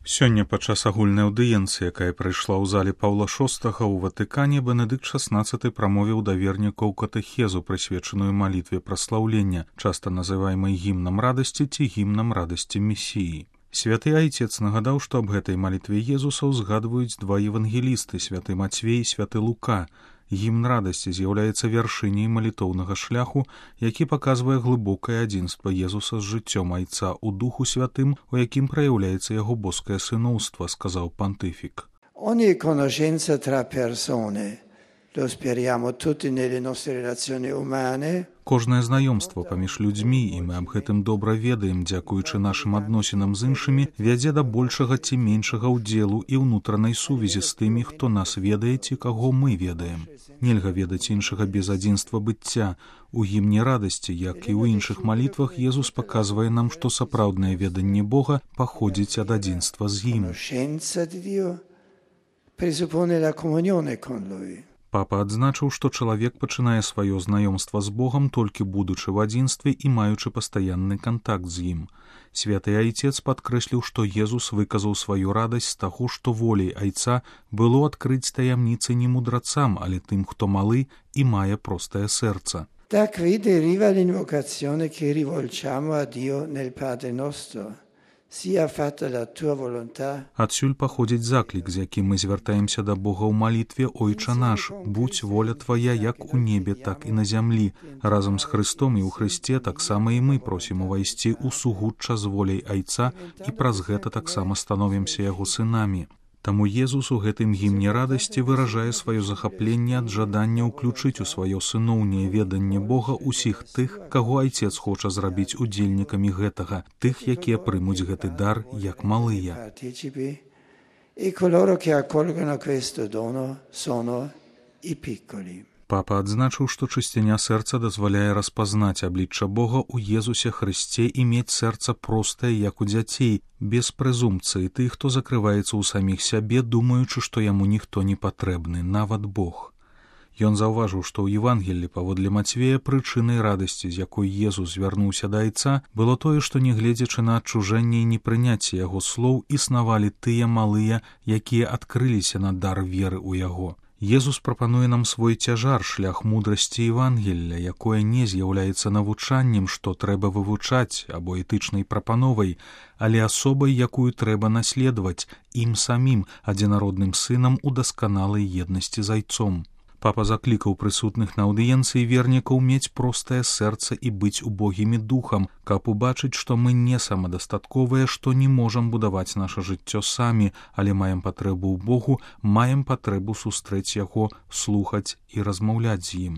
Сёння падчас агульнай аўдыенцыі, якая прайшла ў зале Паўла VI ў Ватыкане, Бенедыкт XVI прамовіў да вернікаў катэхезу, прысвечаную малітве праслаўлення, часта называемай гімнам радасці ці гімнам радасці Месіі. Святы Айцец нагадаў, што аб гэтай малітве Езуса ўзгадваюць два евангелісты, святы Мацвей і святы Лука. Гімн радасці з'яўляецца вяршыняй малітоўнага шляху, які паказвае глыбокае адзінства Езуса з жыццём Айца ў Духу Святым, у якім праяўляецца яго боскае сыноўства, сказаў пантыфік. Ogni conoscenza tra persone, lo speriamo tutti nelle nostre relazioni umane. Кожнае знаёмства паміж людзьмі, і мы аб гэтым добра ведаем, дзякуючы нашым адносінам з іншымі, вядзе да большага ці меншага ўдзелу і ўнутранай сувязі з тымі, хто нас ведае ці каго мы ведаем. Нельга ведаць іншага без адзінства быцця. У гімне радасці, як і ў іншых малітвах, Езус паказвае нам, што сапраўднае веданне Бога паходзіць ад адзінства з ім. Папа адзначыў, што чалавек пачынае сваё знаёмства з Богам толькі будучы ў адзінстве і маючы пастаянны кантакт з ім. Святы Айцец падкрэсліў, што Езус выказаў сваю радасць з таго, што волей Айца было адкрыць таямніцы не мудрацам, але тым, хто малы і мае простае сэрца. Da qui deriva l'invocazione che rivolgiamo a Dio nel Padre nostro. Sia fatta la tua volontà. Адсюль паходзіць заклік, з якім мы звяртаемся да Бога ў малітве «Ойча наш», «Будь воля твая як у небе, так і на зямлі». Разам з Христом і ў Христе таксама і мы просім увайсці ў сугучча з воляй Айца і праз гэта таксама становімся яго сынамі. Таму Езус у гэтым гімне радасці выражае сваё захапленне ад жадання ўключыць у сваё сыноўняе веданне Бога ўсіх тых, каго Айцец хоча зрабіць удзельнікамі гэтага, тых, якія прымуць гэты дар як малыя. Папа адзначыў, што чысціня сэрца дазваляе распазнаць аблічча Бога ў Езусе Хрысце і мець сэрца простае, як у дзяцей, без прэзумпцыі тых, хто закрываецца ў саміх сябе, думаючы, што яму ніхто не патрэбны, нават Бог. Ён заўважыў, што ў Евангеллі паводле Мацвея прычынай радасці, з якой Езус звярнуўся да Айца, было тое, што, нягледзячы на адчужэнне і непрыняцце яго слоў, існавалі тыя малыя, якія адкрыліся на дар веры ў яго. Езус прапануе нам свой цяжар, шлях мудрасці Евангелля, якое не з'яўляецца навучаннем, што трэба вывучаць, або этычнай прапановай, але асобай, якую трэба наследаваць, ім самім, адзінародным сынам у дасканалай еднасці з Айцом. Папа заклікаў прысутных на аўдыенцыі вернікаў мець простае сэрца і быць убогімі духам, каб убачыць, што мы не самадастатковыя, што не можам будаваць наша жыццё самі, але маем патрэбу ў Богу, маем патрэбу сустрэць яго, слухаць і размаўляць з ім.